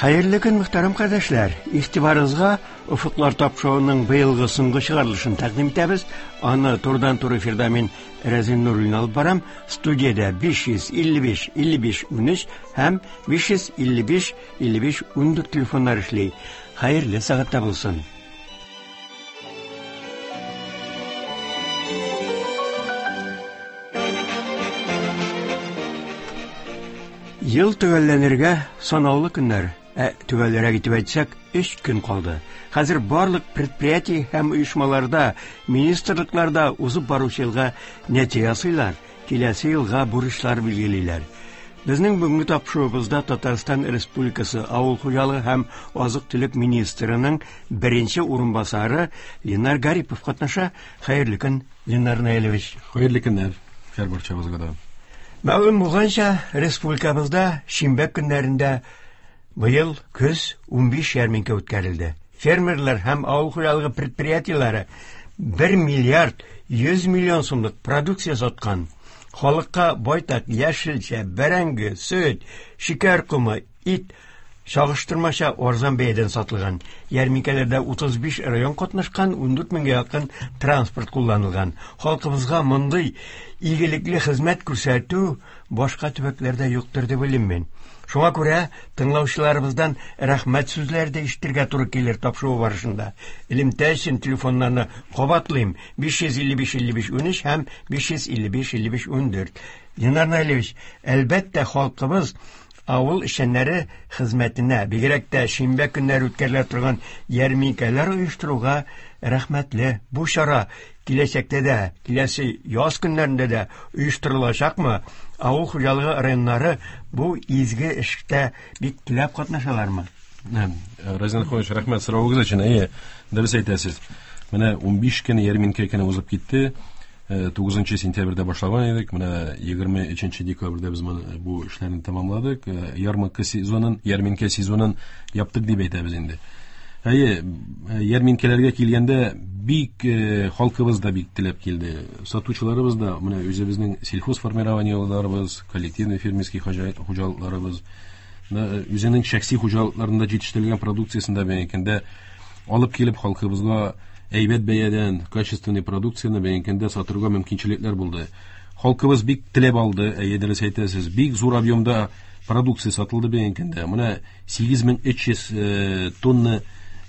Хәерле көн, мөхтәрәм кардәшләр! Игътибарыгызга Офыклар тапшыруының быелгы соңгы чыгарылышын тәкъдим итәбез. Аны турыдан-туры эфирда мин Рәзин Нуруллин алып барам. Студиядә 555 55 13 һәм 555 55 14 телефоннар эшли. Хәерле сәгатьтә булсын. Ел төгәлләнергә санаулы көннәр, ә төгәлрәк итеп әйтсәк, өч көн калды. Хәзер барлык предприятие һәм оешмаларда, министрлыкларда узып баручы елга нәтиҗә ясыйлар, киләсе елга бурычлар билгелиләр. Безнең бүгенге тапшыруыбызда Татарстан Республикасы Авыл хуҗалыгы һәм азык-төлек министрының беренче урынбасары Ленар Гарипов катнаша. Хәерле көн, Ленар Наилевич. Хәерле көннәр һәр барчабызга да. Мәгълүм булганча, республикабызда шимбә көннәрендә быел көз 15 ярминкә үткәрелде. Фермерлар һәм авыл хуҗалыгы предприятиеләре 1 миллиард 100 миллион сумлык продукция саткан. Халыкка байтак яшелчә, бәрәңге, сөт, шикәр комы, ит чагыштырмача арзан бәядән сатылган. Ярминкәләрдә 35 район катнашкан, 14 меңгә якын транспорт кулланылган. Халкыбызга мондый игелекле хезмәт күрсәтү башка төбәкләрдә юктыр дип уйлыйм мин. Шуңа күрә тыңлаучыларыбыздан рәхмәт сүзләре дә ишетергә туры килер тапшыру барышында. Элемтә өчен телефоннарны кабатлыйм: 555 55 13 һәм 555 55 14. Ленар Наилевич, әлбәттә, халкыбыз авыл эшчәннәре хезмәтенә, бигрәк тә шимбә көннәре үткәрелә торган ярминкәләр оештыруга рәхмәтле. Бу чара киләчәктә дә, киләсе яз көннәрендә дә оештырылачакмы? Авыл хуҗалыгы районнары бу изге эштә бик теләп катнашалармы? Разин Ахунович, рәхмәт соравыгыз өчен. Әйе, дөрес әйтәсез. Менә 15 көн ярминкә көне узып китте. 9 сентябрьдә башлаган идек. Менә 23 декабрьдә без моны бу эшләрне тәмамладык. Ярмарка сезонын, ярминкә сезонын яптык дип әйтәбез инде. Әйе, ярминкәләргә килгәндә бик халкыбыз да бик теләп килде. Сатучыларыбыз да, менә үзебезнең сельхозформированиеларыбыз, коллективный фермерский хуҗалыкларыбыз, үзенең шәхси хуҗалыкларында җитештерелгән продукциясен дә бәянкәндә алып килеп халкыбызга әйбәт бәядән качественный продукцияне бәянкәндә сатырга мөмкинчелекләр булды. Халкыбыз бик теләп алды, әйе, дөрес әйтәсез. Бик зур объемда продукция сатылды бәянкәндә. Менә 8300 тонна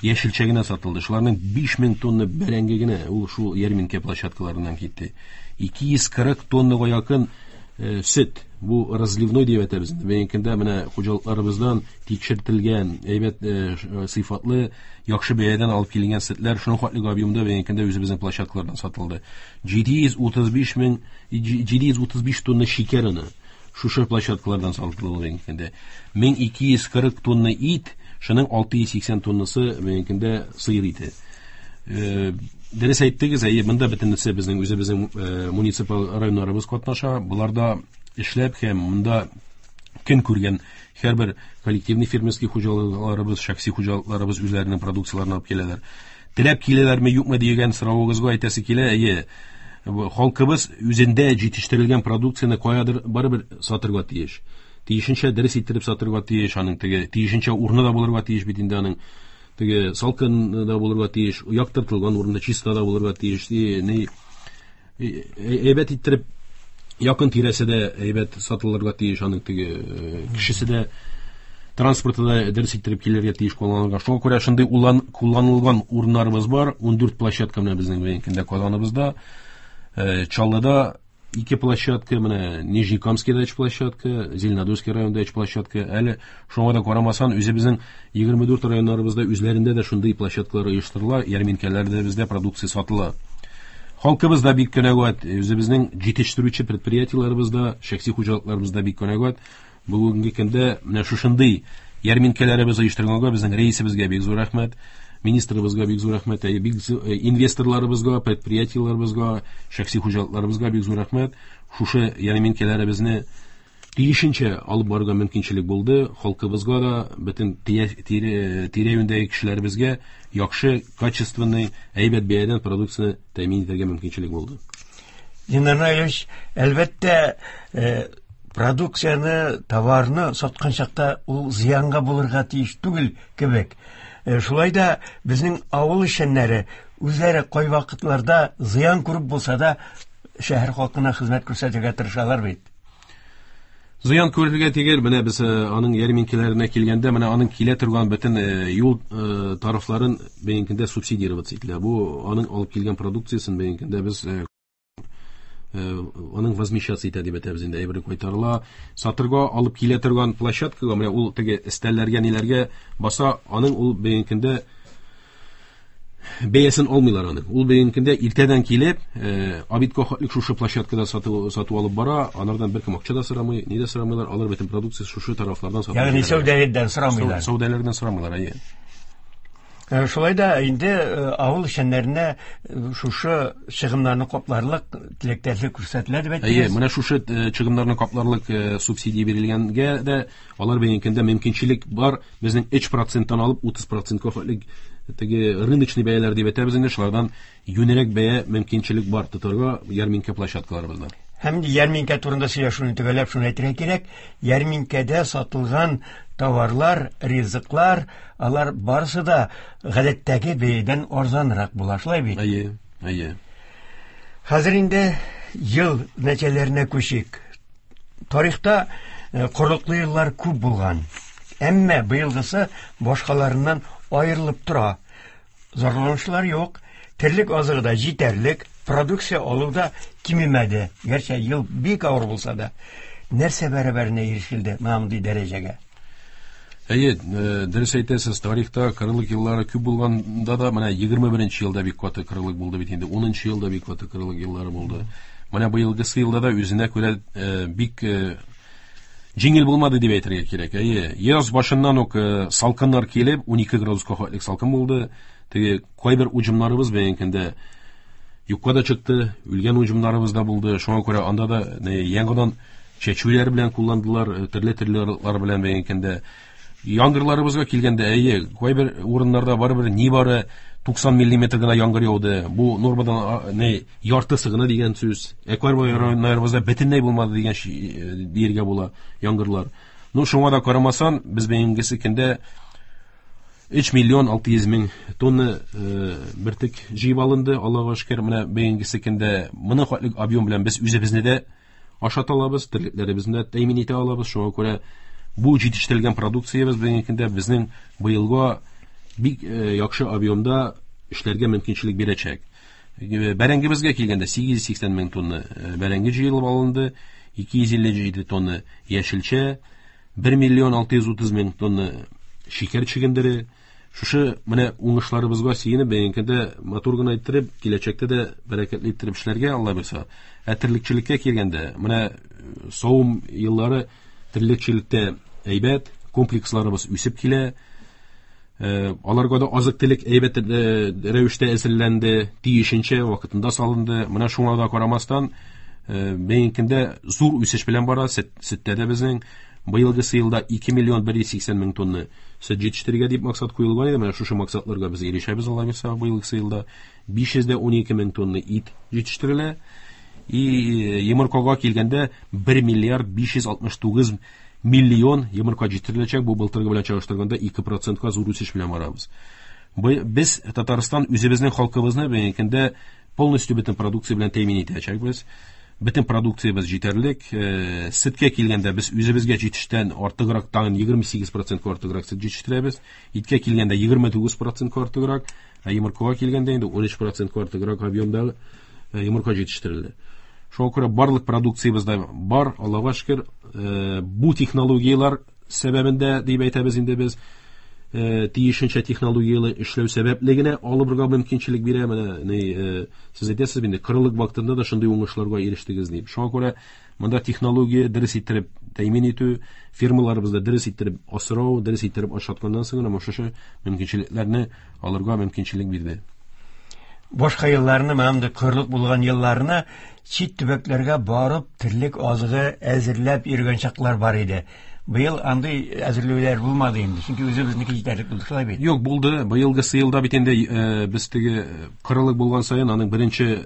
яшелчә генә сатылды. Шуларның 5000 тонна бәрәңге генә ул шул ярминкә площадкаларыннан китте. 240 тоннага якын сөт, бу разливной дип әйтәбез. Бәянкәндә менә хуҗалыкларыбыздан тикшертелгән, әйбәт сыйфатлы, яхшы бәядән алып киленгән сөтләр шуның хәтле объемда бәянкәндә үзебезнең площадкалардан сатылды. 735 мең 735 тонна шикәр оны шушы площадкалардан сатылды бәянкәндә. 1240 тонна ит, шуның 680 тоннасы бәянкәндә сыер ите. Дөрес әйттегез, әйе, монда бөтенесе безнең үзебезнең муниципаль районнарыбыз катнаша. Буларда эшләп һәм монда көн күргән һәрбер коллективный фермерский хуҗалыкларыбыз, шәхси хуҗалыкларыбыз үзләренең продукцияләрен алып киләләр. Теләп киләләрме, юкмы дигән соравыгызга әйтәсе килә, әйе, халкыбыз үзендә җитештерелгән продукцияне каядыр барыбер сатырга тиеш. Тиешенчә дөрес иттереп сатырга тиеш, аның теге тиешенчә урыны да булырга тиеш бит инде аның. Теге салкын да булырга тиеш, яктыртылган урында чиста да булырга тиеш. Ни әйбәт иттереп якын тирәсе дә әйбәт сатылырга тиеш, аның теге кешесе дә транспорты да дөрес иттереп килергә тиеш кулланылган. Шуңа күрә шундый кулланылган урыннарыбыз бар. 14 площадка менә безнең бүгенге Казаныбызда, Чаллыда 2 площадка, менә Нижнекамскийда 3 площадка, Зеленодольский районында 3 площадка. Әле шуңа да карамасан, үзебезнең 24 районнарыбызда үзләрендә дә шундый площадкалар оештырыла, ярминкәләрдә бездә продукция сатыла. Халкыбыз да бик көнәгәт, үзебезнең җитештерүче предприятиеләребез дә, шәхси хуҗалыкларыбыз да бик көнәгәт. Бүгенге көндә менә шушындый ярминкәләребез оештырганга безнең рәисебезгә бик зур рәхмәт, министрыбызга бик зур рәхмәт, бик инвесторларыбызга, предприятиеләребезгә, шәхси хуҗалыкларыбызга бик зур рәхмәт. Шушы ярминкәләребезне тиешенчә алып барырга мөмкинчелек булды. Халкыбызга да, бөтен тирә-юньдәге кешеләребезгә яхшы, качественный, әйбәт бәядән продукцияне тәэмин итәргә мөмкинчелек булды. Ленар Наилевич, әлбәттә, Продукцияне, товарны саткан чакта ул зыянга булырга тиеш түгел кебек. Шулай да безнең авыл эшчәннәре үзләре кайвакытларда зыян күреп булса да шәһәр халкына хезмәт күрсәтергә тырышалар бит. Зыян күрергә түгел, менә без аның ярминкәләренә килгәндә, менә аның килә торган бөтен юл тарифларын бүгенге көндә субсидироваться ителә. Бу аның алып килгән продукциясен бүгенге көндә без аның возмещаться итә дип әйтәбез инде, әйбер кайтарыла. Сатырга алып килә торган площадкага, менә ул теге өстәлләргә, ниләргә баса, аның ул бүгенге көндә бәясен алмыйлар аның. Ул бүгенге көндә иртәдән килеп, обедка хатлык шушы площадкада сату алып бара, анардан беркем акча да сорамый, ни дә сорамыйлар, алар бөтен продукция шушы тарафлардан сатып. Ягъни сәүдәләрдән сорамыйлар. Сәүдәләрдән сорамыйлар, әйе. Шулай да инде авыл эшчәннәренә шушы чыгымнарны капларлык теләктәшлек күрсәтелә дип әйттегез. Әйе, менә шушы чыгымнарны капларлык субсидия бирелгәнгә дә алар бүгенге көндә мөмкинчелек бар, безнең 3%-тан алып 30%-ка хәтлек теге рыночный бәяләр дип әйтәбез инде, шулардан юнерәк бәя мөмкинчелек бар тотарга ярминкә площадкаларыбызда. Һәм ярминкә турында сөйләшүне төгәлләп шуны әйтергә кирәк, ярминкәдә сатылган товарлар, ризыклар, алар барысы да гадәттәге бәядән арзанрак була, шулай бит? Әйе, әйе. Хәзер инде ел нәтиҗәләренә күчик. Тарихта корылыклы еллар күп булган. Әмма быелгысы башкаларыннан аерылып тора. Зарланучылар юк. Терлек азыгы да җитәрлек, продукция алу да кимемәде. Гәрчә ел бик авыр булса да. Нәрсә бәрабәренә ирешелде менә мондый дәрәҗәгә? Әйе, дөрес әйтәсез, тарихта кырылык еллары күп булганда да, менә 21 елда бик каты кырылык булды бит инде, 10 елда бик каты кырылык еллары булды. Менә быелгысы елда да үзенә күрә бик җиңел булмады дип әйтергә кирәк. Әйе, яз башыннан ук салкыннар килеп, 12 градуска хәтлек салкын булды. Теге кайбер уҗымнарыбыз бүгенге көндә юкка да чыкты, үлгән уҗымнарыбыз да булды. Шуңа күрә анда да яңадан чәчүләр белән кулландылар, төрле-төрле ырыклар белән бүгенге көндә. Яңгырларыбызга килгәндә, әйе, кайбер урыннарда барыбер нибары 90 миллиметр гына яңгыр яуды. Бу нормадан не яртысы гына дигән сүз. Ә кайбер районнарыбызда бөтенләй булмады дигән диергә була яңгырлар. Ну, шуңа да карамасан, без бүгенгесе көндә 3 миллион 600 мең тонна бөртек җыеп алынды. Аллага шөкер, менә бүгенгесе көндә моның хәтлек объем белән без үзебезне дә ашата алабыз, терлекләребезне дә тәэмин итә алабыз. Шуңа күрә бу җитештерелгән продукциябез бүгенге көндә безнең быелга бик яхшы объемда эшләргә мөмкинчелек бирәчәк. Бәрәңгебезгә килгәндә 880 мең тонна бәрәңге җыелып алынды, 257 тонна яшелчә, 1 миллион 630 мең тонна шикәр чөгендере. Шушы менә уңышларыбызга сөенеп, бүгенге көндә матур гына иттереп, киләчәктә дә бәрәкәтле иттереп эшләргә Алла бирсә. Ә терлекчелеккә килгәндә, менә савым еллары терлекчелектә әйбәт, комплексларыбыз үсеп килә. Аларга да азык-төлек әйбәт рәвештә әзерләнде, тиешенчә вакытында салынды. Менә шуңа да карамастан, бүгенге көндә зур үсеш белән бара. Сөттә дә безнең быелгысы елда 2 миллион 180 мең тонна сөт җитештерергә дип максат куелган иде. Менә шушы максатларга без ирешәбез, Алла бирсә, быелгысы елда 512 мең тонна ит җитештерелә. И йомыркага килгәндә 1 миллиард 569 миллион йомырка җитештереләчәк. Бу былтыргы белән чагыштырганда 2%-ка зур үсеш белән барабыз. Без Татарстан үзебезнең халкыбызны бүгенге көндә полностью бөтен продукция белән тәэмин итәчәкбез. Бөтен продукциябез җитәрлек. Сөткә килгәндә без үзебезгә җитештән артыграк тагын 28%-ка артыграк сөт җитештерәбез. Иткә килгәндә 29%-ка артыграк, ә йомыркага килгәндә инде 13%-ка артыграк объемда йомырка җитештерелде. Шуңа күрә барлык продукциябез дә бар, Аллага шөкер. Бу технологияләр сәбәбендә дип әйтәбез инде без, тиешенчә технологияле эшләү сәбәпле генә алырга мөмкинчелек бирә. Менә сез әйтәсез инде, кырылык вакытында да шундый уңышларга ирештегез дип. Шуңа күрә монда технология дөрес иттереп тәэмин итү, фирмаларыбызда дөрес иттереп асрау, дөрес иттереп ашатканнан соң гына шушы мөмкинчелекләрне алырга мөмкинчелек бирде. Башка елларны, менә мондый кырлык булган елларны чит төбәкләргә барып терлек азыгы әзерләп йөргән чаклар бар иде. Быел андый әзерләүләр булмады инде, чөнки үзебезнеке җитәрлек булды, шулай бит? Юк, булды. Быелгысы елда бит инде без теге кырылык булган саен аның беренче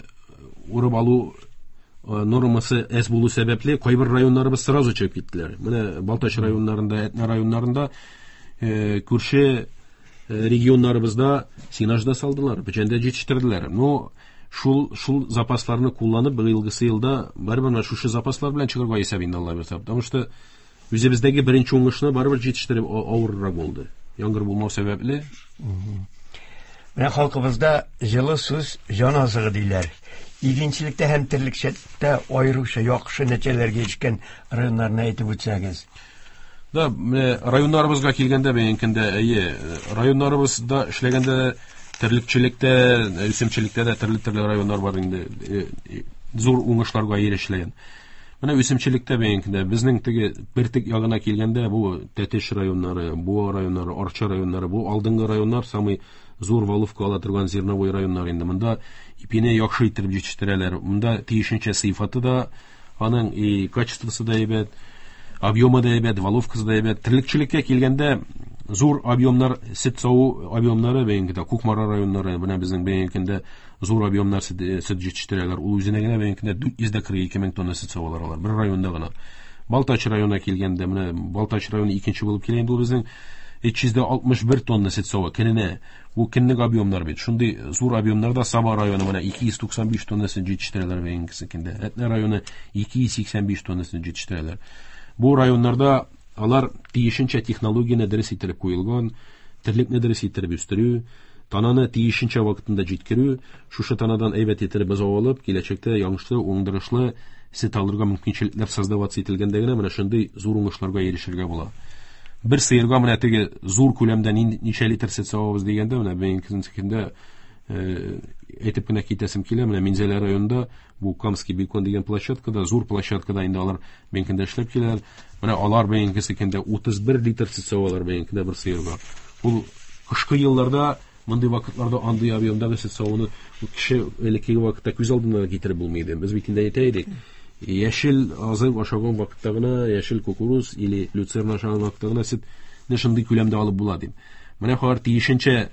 урып алу Нормасы әз булу сәбәпле, кайбер районнарыбыз сразу чыгып киттеләр. Менә Балтач районнарында, Әтнә районнарында күрше регионнарыбызда сенаж да салдылар, печән дә җитештерделәр. Но шул запасларны кулланып, быелгысы елда барыбер менә шушы запаслар белән чыгарга исәп инде, Алла бирсә. Потому что үзебездәге беренче уңышны барыбер җитештереп авыррак булды. Яңгыр булмау сәбәпле. Менә халкыбызда җылы сүз җан азыгы диләр. Игенчелектә һәм терлекчелектә аеруча яхшы нәтиҗәләргә ирешкән районнарны әйтеп үтсәгез. Да, менә районнарыбызга килгәндә, бәянкендә, әйе, районнарыбызда эшләгәндә терлекчелектә, үсемчелектә дә төрле-төрле районнар бар инде, зур уңышларга ирешелгән. Менә үсемчелектә бәянкендә безнең теге бертек ягына килгәндә, бу Тәтеш районнары, Буа районнары, Арча районнары, бу алдынгы районнар, самый зур валовка ала торган зерновой районнар инде. Монда ипине яхшы иттереп җитештерәләр. Монда тиешенчә сыйфаты да, аның и качествосы да әйбәт, объемы да әйбәт, валовкасы да әйбәт. Терлекчелеккә килгәндә, зур объемнар, сөт саву объемнары бәянкендә Кукмара районнары, менә безнең бәянкендә зур объемнар сөт җитештерәләр. Ул үзенә генә бәянкендә 442 мең тонна сөт савалар алар, бер районда гына. Балтач районына килгәндә, менә Балтач районы икенче булып килә инде ул безнең 361 тонна сөт сава көненә. Бу көнлек объемнар бит. Шундый зур объемнарда Саба районы менә 295 тонна сөт җитештерәләр бәянкесендә. Әтнә районы 285 тонна сөт җитештерәләр. Бу районнарда алар тиешенчә технологияне дөрес иттереп куелган, терлекне дөрес иттереп үстерү, тананы тиешенчә вакытында җиткерү, шушы танадан әйбәт иттереп бозау алып, киләчәктә яңышлы, уңдырышлы сөт алырга мөмкинчелекләр создаваться ителгәндә генә менә шундый зур уңышларга ирешергә була. Бер сыерга менә теге зур күләмдә ничә литр сөт савабыз дигәндә, менә бәянкесендә әйтеп кенә китәсем килә, менә Минзәлә районында бу Камский бекон дигән площадкада, зур площадкада инде алар бәянкендә эшләп киләләр. Менә алар бәянкесендә 31 литр сөт савалар бәянкендә бер сыерга. Ул кышкы елларда мондый вакытларда андый объемдагы сөт савуны кеше элеккеге вакытта күз алдына да китереп булмый иде. Без бит инде әйтә идек, яшел азык ашаган вакытта гына, яшел кукуруз или люцерна ашаган вакытта гына сөтне шундый күләмдә алып була дип. Менә алар тиешенчә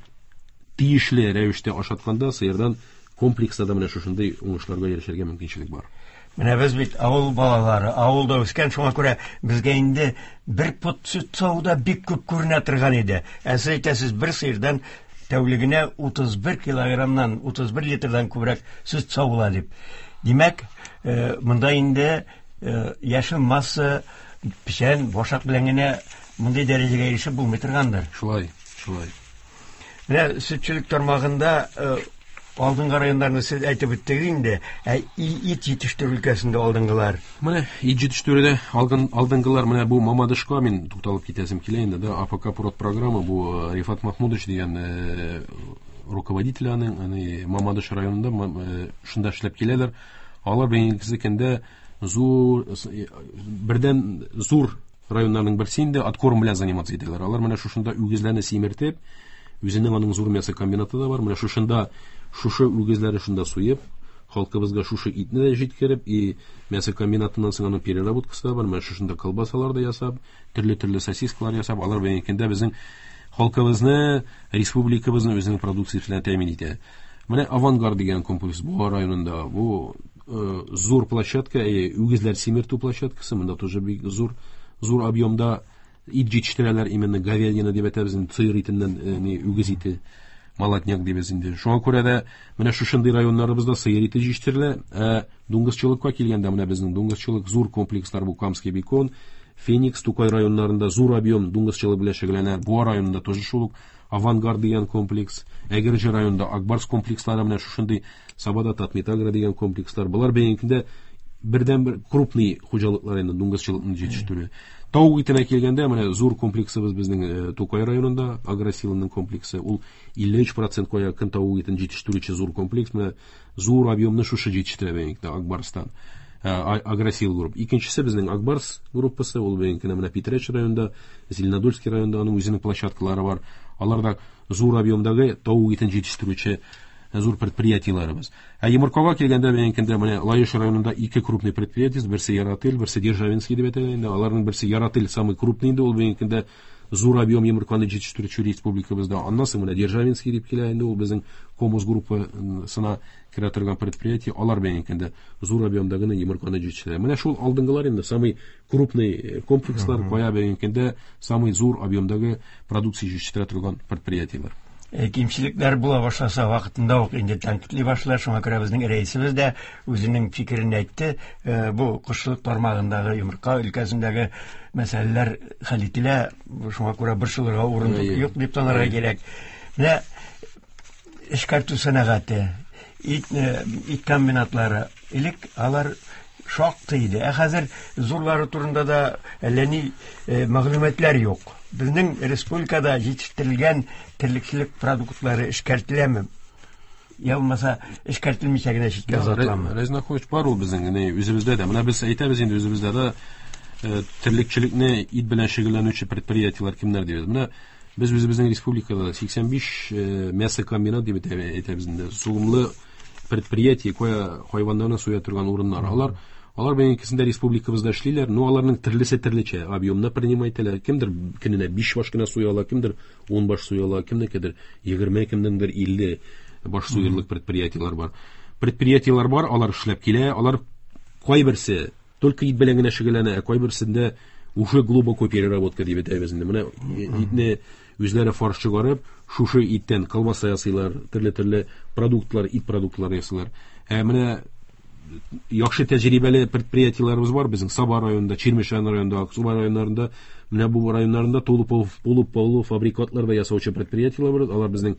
тиешле рәвештә ашатканда сыердан комплекста да менә шушындый уңышларга ирешергә мөмкинчелек бар. Менә без бит авыл балалары, авылда үскән, шуңа күрә безгә инде бер пот сөт саву да бик күп күренә торган иде. Ә сез әйтәсез, бер сыердан тәүлегенә 31 килограммнан, 31 литрдан күбрәк сөт савыла дип. Димәк, монда инде яшел масса, печән, башак белән генә мондый дәрәҗәгә ирешеп булмый торгандыр. Шулай, шулай. Менә сөтчелек тармагында алдынгы районнарны сез әйтеп үттегез инде, ә ит җитештерү өлкәсендә алдынгылар. Менә ит җитештерүдә алдынгылар, менә бу Мамадышка мин тукталып китәсем килә инде, да, АПК Прод программа, бу Рифат Махмудович дигән руководитель аның, аны Мамадыш районында шунда эшләп киләләр. Алар бәйгесе көндә зур, бердән зур районнарның берсе инде откорм белән заниматься итәләр. Алар менә шушында үгезләрне симертеп, үзенең аның зур мясокомбинаты да бар. Менә шушында шушы үгезләрне шунда суеп, халкыбызга шушы итне дә җиткереп, и мясокомбинатыннан соң аның переработкасы да бар. Менә шушында колбасалар да ясап, төрле-төрле сосискалар ясап, алар бәйгендә безнең халкыбызны, республикабызны үзенең продукциясе белән тәэмин итә. Менә Авангард дигән комплекс Буа районында. Бу зур площадка, үгезләр симертү площадкасы, монда тоже бик зур, зур объемда ит җитештерәләр, именно говядина дип әйтәбез инде, сыер итеннән, ни, үгез ите, молодняк дибез инде. Шуңа күрә дә менә шушындый районнарыбызда сыер ите җитештерелә. Ә дуңгызчылыкка килгәндә, менә безнең дуңгызчылык зур комплекслар бу Камский бекон, Феникс, Тукай районнарында зур объем дуңгызчылык белән шөгыльләнә. Буа районында тоже шул ук Авангард дигән комплекс, Әгерҗе районында Акбарс комплекслары, менә шушындый Сабада Татметагро дигән комплекслар. Болар бәйгендә бердән-бер крупный хуҗалыклар инде дуңгызчылыкны җитештерү. Тавык итенә килгәндә, менә зур комплексыбыз безнең Тукай районында, Агросиланың комплексы. Ул 53% якын тавык итен җитештерүче зур комплекс. Менә зур объемны шушы җитештерә бәйгендә Акбарстан. Агросил групп. Икенчесе безнең Акбарс группасы, ул бәйгендә менә Питрәч районында, Зеленодольский районында аның үзенең площадкалары бар. Алар да зур объемдагы тавык итен җитештерүче зур предприятиеләребез. Ә йомыркага килгәндә, бәйгендә менә Лаеш районында ике крупный предприятие, берсе Ярател, берсе Державинский дип әйтәләр инде. Аларның берсе Ярател самый крупный инде, ул бәйгендә Зур объем йомырканы җитештерүче республикабызда. Аннан соң менә Державинский дип килә инде, ул безнең Комус группасына керә торган предприятие, алар белән инде зур объемда гына йомырканы җитештерә. Менә шул алдынгылар инде самый крупный комплекслар, кая бүгенге самый зур объемдагы продукция җитештерә торган предприятиеләр. Кимчелекләр була башласа, вакытында ук инде тәнкыйтьли башлар. Шуңа күрә безнең рәисебез дә үзенең фикерен әйтте. Бу кошчылык тармагындагы, йомырка өлкәсендәге мәсьәләләр хәл ителә, шуңа күрә борчылырга урын юк дип танырга кирәк. Менә эшкәртү сәнәгате, ит комбинатлары, элек алар шактый иде. Ә хәзер зурлары турында да әллә ни мәгълүматлар юк. Безнең республикада җитештерелгән терлекчелек продуктлары эшкәртеләме? Я булмаса, эшкәртелмичә генә читкә озатыламы? Разин Ахунович, бар ул безнең генә үзебездә дә. Менә без әйтәбез инде, үзебездә дә терлекчелекне, ит белән шөгыльләнүче предприятиеләр кемнәр дибез. Менә без үзебезнең республикада 85 мясокомбинат дип әйтәбез инде. Сугымлы предприятие, кая хайваннарны суя торган урыннар. Алар белән икесендә республикабызда эшлиләр, но аларның төрлесе төрлечә объемны принимать итәләр. Кемдер көненә 5 баш кына суя ала, кемдер 10 баш суя ала, кемнекедер 20, кемнеңдер 50 баш суерлык предприятиеләр бар. Предприятиеләр бар, алар эшләп килә, алар кайберсе только ит белән генә шөгыльләнә, ә кайберсендә уже глубокая переработка дип әйтәбез инде. Менә итне үзләре фарш чыгарып, шушы иттән колбаса ясыйлар, төрле-төрле продуктлар, ит продуктлары ясыйлар. Ә менә яхшы тәҗрибәле предприятиеләребез бар безнең Саба районында, Чирмешән районында, Аксубай районнарында, менә бу районнарында тулы полу фабрикатлар да ясаучы предприятиеләр бар. Алар безнең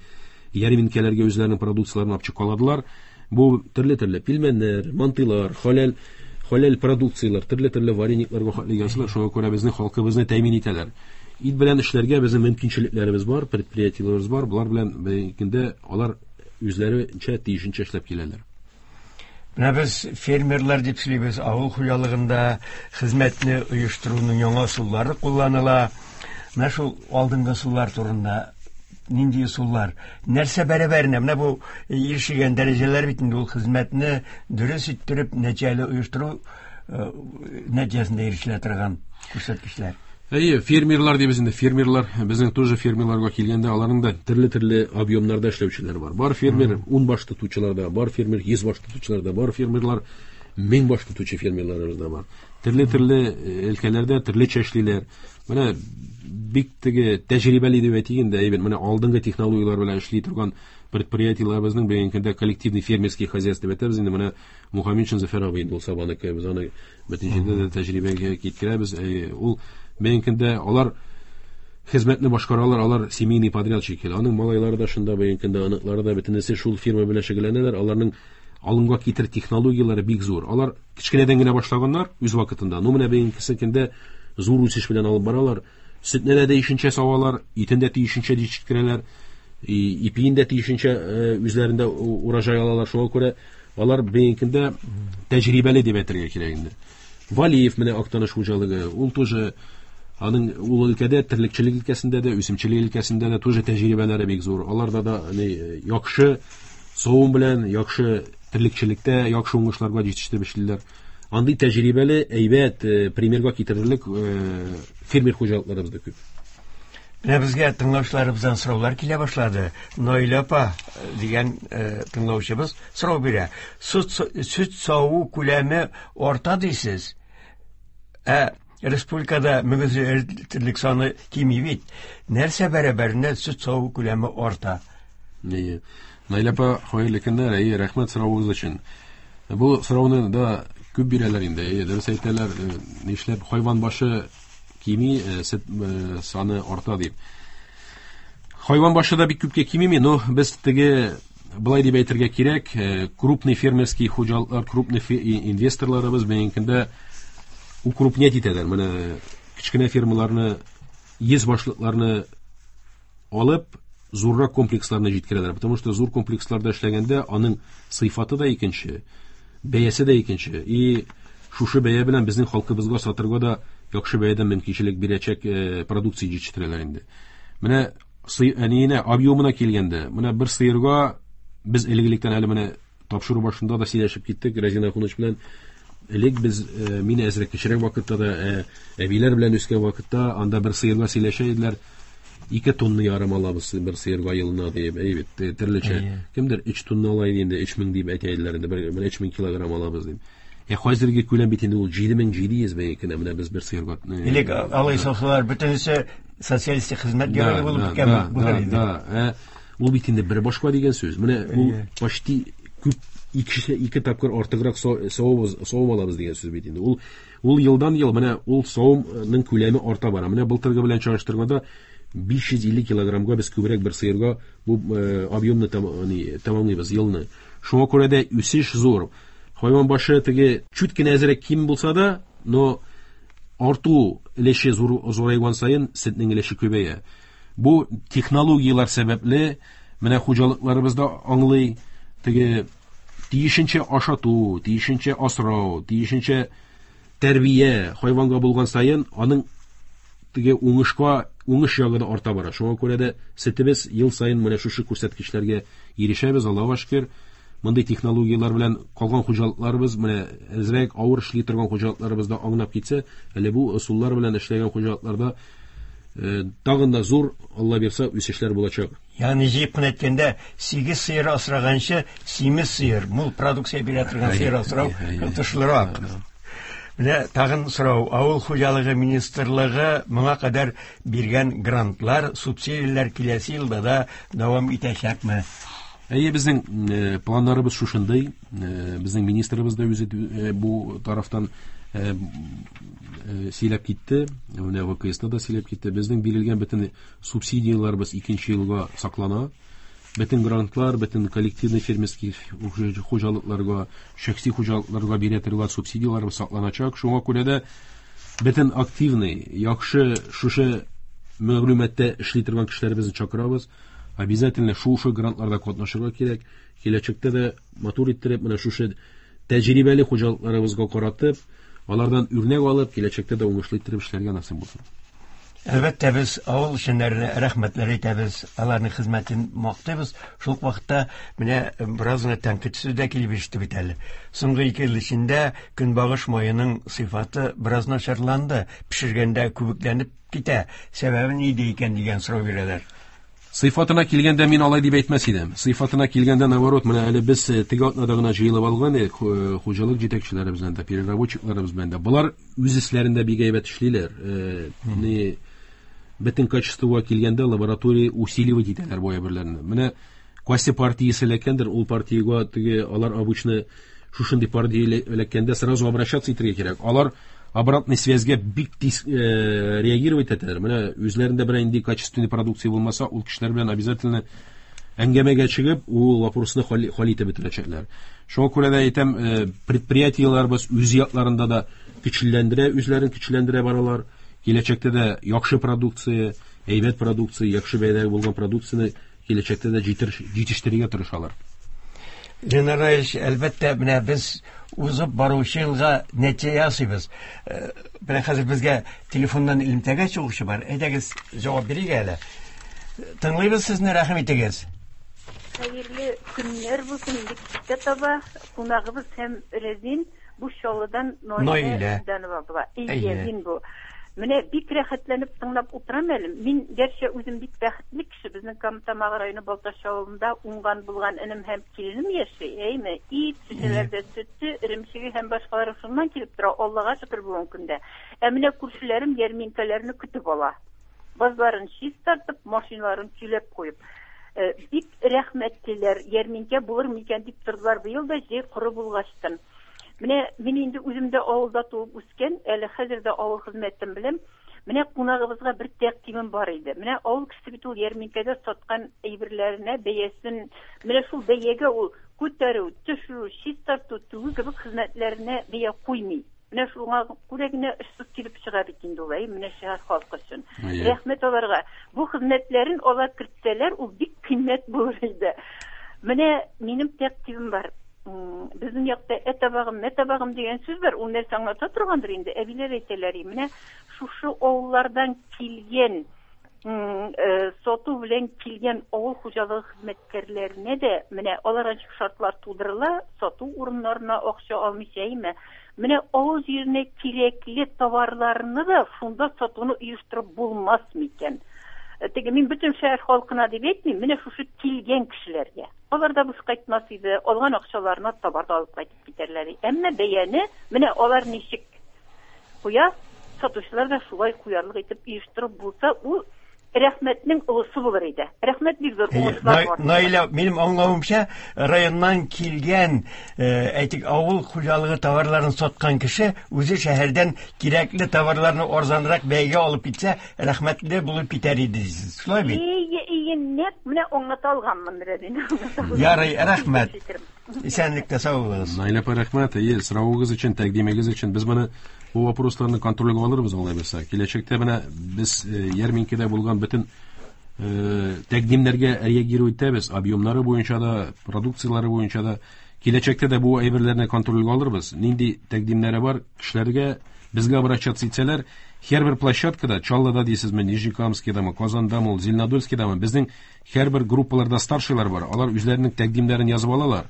ярминкәләргә үзләренең продукцияләрен алып чыга аладылар. Бу төрле-төрле пилмәннәр, мантыйлар, халәл продукцияләр, төрле-төрле вареникларга хәтле ясыйлар. Шуңа күрә безнең халкыбызны тәэмин итәләр. Ит белән эшләргә безнең мөмкинчелекләребез бар, предприятиеләребез бар. Булар белән бүгенге алар үзләренчә тиешенчә эшләп киләләр. Менә без фермерлар дип сөйлибез, авыл хуҗалыгында хезмәтне оештыруның яңа ысуллары кулланыла. Менә шул алдынгы ысуллар турында нинди ысуллар, нәрсә бәрабәренә, менә бу ирешелгән дәрәҗәләр бит инде ул хезмәтне дөрес иттереп, нәтиҗәле оештыру нәтиҗәсендә ирешелә торган күрсәткечләр. Әйе, фермерлар дибез инде, фермерлар, безнең тоже фермерларга килгәндә, аларның да төрле-төрле объемнарда эшләүчеләр бар. Бар фермер 10 баш тотучылар да, бар фермер 100 баш тотучылар да, бар фермерлар 1000 баш тотучы фермерларыбыз да бар. Төрле-төрле өлкәләрдә төрлечә эшлиләр. Менә бик теге тәҗрибәле дип әйтик инде, әйбәт, менә алдынгы технологияләр белән эшли торган предприятиеләребезнең бүгенге көндә коллективный фермерский хозяйство дип әйтәбез инде, менә Мухаммедшин Зөфәр абый инде ул Сабаныкы, без аны бөтен җирдә дә тәҗрибәгә китерәбез. Ул бүгенге көндә алар хезмәтне башкаралар, алар семейный подрядчик. Аның малайлары да шунда бүгенге көндә, оныклары да бөтенесе шул фирма белән шөгыльләнәләр. Аларның алымга китер технологияләре бик зур. Алар кечкенәдән генә башлаганнар үз вакытында. Ну менә бүгенге көндә зур үсеш белән алып баралар. Сөтне дә тиешенчә савалар, итен дә тиешенчә җитештерәләр, ипиен дә тиешенчә үзләрендә урожай алалар. Шуңа күрә алар бүгенге көндә тәҗрибәле дип әйтергә кирәк инде. Валиев менә Актаныш хуҗалыгы, ул тоже аның ул өлкәдә, терлекчелек өлкәсендә дә, үсемчелек өлкәсендә дә тоже тәҗрибәләре бик зур. Аларда да яхшы савым белән, яхшы терлекчелектә яхшы уңышларга җитештереп эшлиләр. Андый тәҗрибәле, әйбәт, примерга китерерлек фермер хуҗалыкларыбыз да күп. Менә безгә тыңлаучыларыбыздан сораулар килә башлады. Наилә апа дигән тыңлаучыбыз сорау бирә. Сөт саву күләме арта дисез. Ә республикада мөгезле терлек саны кими бит. Нәрсә бәрабәренә сөт саву күләме арта? Әйе. Наилә апа, хәерле көннәр. Әйе, рәхмәт соравыгыз өчен. Бу сорауны да күп бирәләр инде. Әйе, дөрес әйтәләр, нишләп хайван башы кими, сөт саны арта дип. Хайван башы да бик күпкә кимеми, но без теге былай дип әйтергә кирәк, крупный фермерский хуҗалыклар, крупный инвесторларыбыз бүгенге көндә укрупнять итәләр. Менә кечкенә фермаларны, 100 башлыкларны алып, зуррак комплексларны җиткерәләр. Потому что зур комплексларда эшләгәндә аның сыйфаты да икенче, бәясе дә икенче. И шушы бәя белән безнең халкыбызга сатырга да яхшы бәядән мөмкинчелек бирәчәк продукция җитештерәләр инде. Менә әниенә объемына килгәндә, менә бер сыерга без элек-электән әле менә тапшыру башында да сөйләшеп киттек Разин Ахунович белән. Элек без, мин әзрәк кечерәк вакытта да, әбиләр белән үскән вакытта, анда бер сыерга сөйләшә иделәр. 2 тонна ярым алабыз бер сыерга елына дип, әй бит, төрлечә. Кемдер 3 тонна ала иде инде, 3000 дип әйтә иделәр инде, бер 3000 килограмм алабыз дип. Ә хәзерге күләм бит инде ул 7700 бәякенә менә без бер сыерга. Элек алай салсалар, бөтенесе социалистик хезмәт герое булып беткән булыр иде. Да, ул бит инде бер башка дигән сүз. Менә ул почти күп ике тапкыр артыграк савым алабыз дигән сүз бит инде. Ул елдан ел менә ул савымның күләме арта бара. Менә былтыргы белән чагыштырганда 550 килограммга без күбрәк бер сыерга бу объемны тәмамлыйбыз елны. Шуңа күрә дә үсеш зур. Хайван башы теге чүт кенә әзрәк ким булса да, но арту өлеше зурайган саен сөтнең өлеше күбәя. Бу технологияләр сәбәпле менә хуҗалыкларыбыз да аңлый, теге тиешенчә ашату, тиешенчә асрау, тиешенчә тәрбия хайванга булган саен аның теге уңышка, уңыш ягы да арта бара. Шуңа күрә дә сөтебез ел саен менә шушы күрсәткечләргә ирешәбез, Аллаһуга шөкер. Мондый технологияләр белән калган хуҗалыкларыбыз, менә әзрәк авыр эшли торган хуҗалыкларыбыз да аңлап китсә, әле бу ысуллар белән эшләгән хуҗалыкларда тагын да зур, Алла бирсә, үсешләр булачак. Ягъни җыеп кына әйткәндә, 8 сыер асраганчы, симез сыер, мул продукция бирә торган сыер асрау отышлырак. Менә тагын сорау. Авыл хуҗалыгы министрлыгы моңа кадәр биргән грантлар, субсидияләр киләсе елда да дәвам итәчәкме? Әйе, безнең планнарыбыз шушындый. Безнең министрыбыз да үзе бу тарафтан сөйләп китте. Менә ВКСта да сөйләп китте. Безнең бирелгән бөтен субсидияләребез икенче елга саклана. Бөтен грантлар, бөтен коллективный фермерский хуҗалыкларга, шәхси хуҗалыкларга бирә торган субсидияләр сакланачак. Шуңа күрә дә бөтен активный, яхшы шушы мәгълүматта эшли торган кешеләребезне чакырабыз. Обязательно шушы грантларда катнашырга кирәк. Киләчәктә дә матур иттереп, менә шушы тәҗрибәле хуҗалыкларыбызга каратып, алардан үрнәк алып, киләчәктә дә уңышлы иттереп эшләргә насыйп булсын. Әлбәттә, без авыл эшчәннәренә рәхмәтләр әйтәбез, аларның хезмәтен мактыйбыз. Шул ук вакытта менә бераз гына тәнкыйть сүзе дә килеп иреште бит әле. Соңгы 2 ел эчендә көнбагыш маеның сыйфаты бераз начарланды, пешергәндә күбекләнеп китә. Сәбәбе нидә икән дигән сорау бирәләр. Сыйфатына килгәндә мин алай дип әйтмәс идем. Сыйфатына килгәндә, наоборот, менә әле без теге атнада гына җыелып алган идек, хуҗалык җитәкчеләребез белән дә, переработчикларыбыз белән дә. Болар үз эшләрендә бик әйбәт эшлиләр. Бөтен качествога килгәндә лаборатория усиливать итәләр бу әйберләрне. Менә кайсы партиясе эләккәндер, ул партиягә теге алар обычно шушындый партия эләккәндә сразу обращаться итәргә кирәк. Алар обратный связьгә бик тиз реагировать итәләр. Менә үзләрендә берәр нинди качественный продукция булмаса, ул кешеләр белән обязательно әңгәмәгә чыгып, ул вопросны хәл итеп бетерәчәкләр. Шуңа күрә дә әйтәм, предприятиеләребез үз якларында да көчләндерә, үзләрен көчләндерә баралар. Киләчәктә дә яхшы продукция, әйбәт продукция, яхшы бәядәге булган продукцияне киләчәктә дә җитештерергә тырышалар. Ленар Раилевич, әлбәттә, менә без узып баручы елга нәтиҗә ясыйбыз. Менә хәзер безгә телефоннан элемтәгә чыгучы бар. Әйдәгез, җавап бирик әле. Тыңлыйбыз сезне, рәхим итегез. Хәерле көннәр булсын, инде кичкә таба кунагыбыз һәм Рәзин бу Чаллыдан Наилә Данова була. Әйе, мин бу. Менә бик рәхәтләнеп тыңлап утырам әле. Мин гәрчә үзем бик бәхетле кеше, безнең Кама Тамагы районы Балтач авылында уңган булган энем һәм киленем яши, әйме? Ит, шешәләрдә сөте, эремчеге һәм башкалары шуннан килеп тора, Аллага шөкер бүгенге көндә. Ә менә күршеләрем ярминкәләрне көтеп ала. Базларын чистартып, машиналарын көйләп куеп. Бик рәхмәтлеләр, ярминкә булыр микән дип тордылар быел да җәй коры булгачтын. Менә мин инде үзем дә авылда туып үскән, әле хәзер дә авыл хезмәтен беләм. Менә кунагыбызга бер тәкъдимем бар иде. Менә авыл кешесе бит ул ярминкәдә саткан әйберләренә бәясен, менә шул бәягә ул күтәрү, төшерү, чистарту, түгү кебек хезмәтләренә бәя куймый. Менә шуңа күрә генә очсыз килеп чыга бит инде ул, әй, менә шәһәр халкы өчен. Рәхмәт аларга. Бу хезмәтләрен алар кертсәләр, ул бик кыйммәт булыр иде. Менә минем тәкъдимем бар. Безнең якта ә табагым, мә табагым дигән сүз бар. Ул нәрсә аңлата торгандыр инде. Әбиләр әйтәләр, менә шушы авыллардан килгән сату белән килгән авыл хуҗалыгы хезмәткәрләренә дә менә алар ничек шартлар тудырыла, сату урыннарына акча алмыйча, әйме. Менә авыл җиренә кирәкле товарларны да шунда сатуны оештырып булмас микән? Теге мин бөтен шәһәр халкына дип әйтмим, менә шушы килгән кешеләргә. Алар да буш кайтмас иде, алган акчаларына товар да алып кайтып китәрләр. Әмма бәяне менә алар ничек куя, сатучылар да шулай куярлык итеп оештырып булса, ул рәхмәтнең олысы булыр иде. Рәхмәт бик зур, уңышлар бар. Наилә, минем аңлавымча, районнан килгән, әйтик, авыл хуҗалыгы товарларын саткан кеше үзе шәһәрдән кирәкле товарларны арзанрак бәягә алып китсә, рәхмәтле булып китәр иде дисез. Шулай бит? Ие, ие, нәкъ менә аңлата алганмын, Рәзин. Ярый, рәхмәт. Исәнлектә сау булыгыз. Наилә апа, рәхмәт. Әйе, соравыгыз өчен, тәкъдимегез өчен. Без моны бу вопросларны контрольгә алырбыз алай булса. Киләчәктә менә без э, ярминкәдә булган бөтен э, тәкъдимнәргә реагировать итәбез, объемнары буенча да, продукцияләре буенча да. Киләчәктә дә бу әйберләрне контрольгә алырбыз. Нинди тәкъдимнәре бар, кешеләргә безгә обращаться итсәләр, һәрбер площадкада, Чаллыда дисезме, Нижнекамскидамы, Казандамы, ул, Зеленодольскидамы, безнең һәрбер группаларда старшийлар бар, алар үзләренең тәкъдимнәрен язып алалар.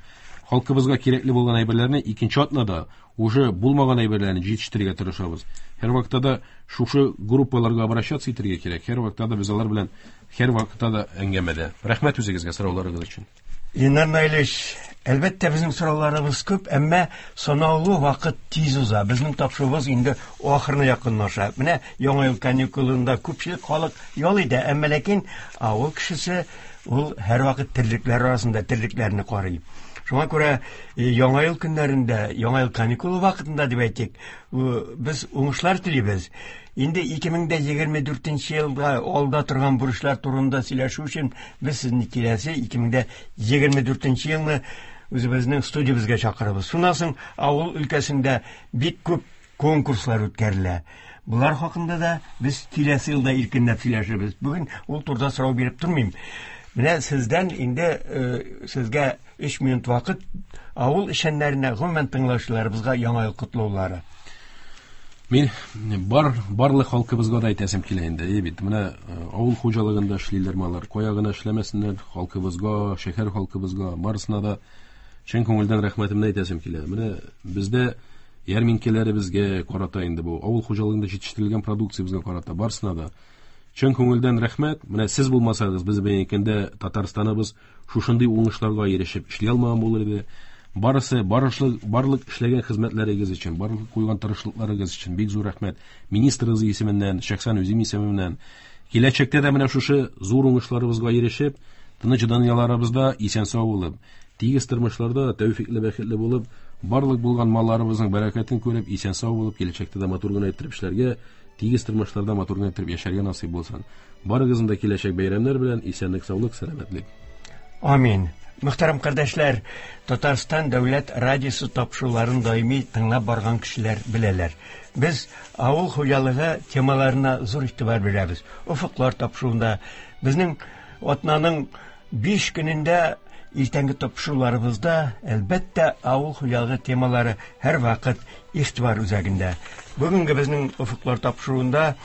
Халкыбызга кирәкле булган әйберләрне икенче атнада уже булмаган әйберләрне җитештерергә тырышабыз. Һәрвакытта да шушы группаларга обращаться итәргә кирәк. Һәрвакытта да без алар белән һәрвакытта да әңгәмәдә. Рәхмәт үзегезгә сорауларыгыз өчен. Ленар Наилевич, әлбәттә, безнең сорауларыбыз күп, әмма санаулы вакыт тиз уза. Безнең тапшыруыбыз инде ахырына якынлаша. Менә Яңа ел каникулында күпчелек халык ял итә, әмма ләкин авыл кешесе ул һәрвакыт терлекләр арасында терлекләрне карый. Шуңа күрә Яңа ел көннәрендә, Яңа ел каникулы вакытында дип әйтик, без уңышлар телибез. Инде 2024 елга алда торган бурычлар турында сөйләшү өчен без сезне киләсе 2024 елны үзебезнең студиябезгә чакырабыз. Шуннан соң авыл өлкәсендә бик күп конкурслар үткәрелә. Болар хакында да без киләсе елда иркенләп сөйләшербез. Бүген ул турыда сорау биреп тормыйм. Менә сездән инде сезгә 3 минут вакыт авыл эшчәннәренә, гомумән тыңлаучыларыбызга яңа ел котлаулары. Мин бар барлык халкыбызга да әйтәсем килә инде. Әйе бит, менә авыл хуҗалыгында эшлиләрме алар, кая гына эшләмәсеннәр, халкыбызга, шәһәр халкыбызга, барысына да чын күңелдән рәхмәтемне әйтәсем килә. Менә бездә ярминкәләребезгә карата инде бу авыл хуҗалыгында җитештерелгән продукциябезгә карата барысына да чын күңелдән рәхмәт. Менә сез булмасагыз, без бүгенге көндә Татарстаныбыз шушындый уңышларга ирешеп эшли алмаган булыр иде. Барысы, барышлы, барлык эшләгән хезмәтләрегез өчен, барлык куйган тырышлыкларыгыз өчен бик зур рәхмәт. Министрыгыз исеменнән, шәхсән үзем исемемнән. Киләчәктә дә менә шушы зур уңышларыбызга ирешеп, тыныч дөньяларыбызда исән-сау булып, тигез тормышларда тәүфикле, бәхетле булып, барлык булган малларыбызның бәрәкәтен күреп, исән-сау булып, киләчәктә дә матур гына иттереп эшләргә, тигез тормышларда матур гына иттереп яшәргә насыйп булсын. Барыгызны да киләчәк бәйрәмнәр белән исәнлек, саулык, сәламәтлек. Амин. Мөхтәрәм кардәшләр, Татарстан дәүләт радиосы тапшыруларын даими тыңлап барган кешеләр беләләр. Без авыл хуҗалыгы темаларына зур игътибар бирәбез. Офыклар тапшыруында безнең атнаның 5 көнендә иртәнге тапшыруларыбызда, әлбәттә, авыл хуҗалыгы темалары һәрвакыт игътибар үзәгендә. Бүгенге безнең Офыклар тапшыруында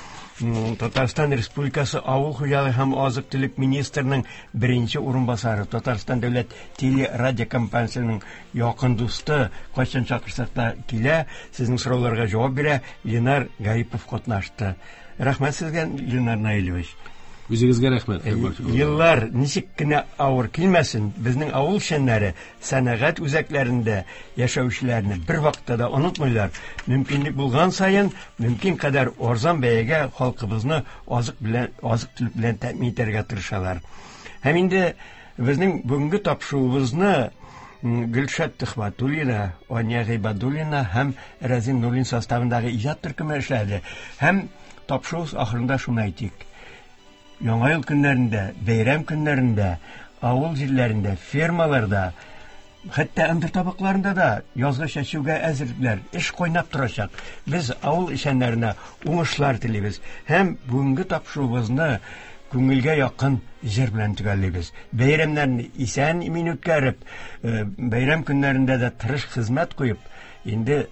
Татарстан Республикасы Авыл хуҗалыгы һәм азык-төлек министрының беренче урынбасары, Татарстан дәүләт телерадиокомпаниясенең якын дусты, кайчан чакырсак та килә, сезнең сорауларга җавап бирә, Ленар Гарипов катнашты. Рәхмәт сезгә, Ленар Наилевич. Үзегезгә рәхмәт. Еллар ничек кенә авыр килмәсен, безнең авыл эшчәннәре сәнәгать үзәкләрендә яшәүчеләрне бер вакытта да онытмыйлар. Мөмкинлек булган саен, мөмкин кадәр арзан бәягә халкыбызны азык белән, азык-төлек белән тәэмин итәргә тырышалар. Һәм инде безнең бүгенге тапшыруыбызны Гөлшат Төхвәтуллина, Ания Гыйбадуллина һәм Рәзин Нуруллин составындагы иҗат төркеме эшләде. Һәм тапшыру ахырында шуны әйтик. Яңа ел көннәрендә, бәйрәм көннәрендә, авыл җирләрендә, фермаларда, хәтта ындыр табакларында да язгы чәчүгә әзерлекләр, эш кайнап торачак. Без авыл эшчәннәренә уңышлар телибез һәм бүгенге тапшыруыбызны күңелгә якын җыр белән төгәллибез. Бәйрәмнәрне исән-имин үткәреп, бәйрәм көннәрендә дә тырыш хезмәт куеп, инде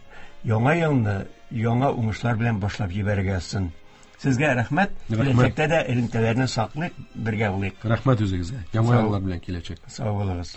яңа елны яңа уңышлар белән башлап җибәрергә язсын. Сезгә рәхмәт. Киләчәктә дә элемтәләрне саклыйк, бергә булыйк. Рәхмәт үзегезгә. Яңа еллар белән киләчәк. Сау булыгыз.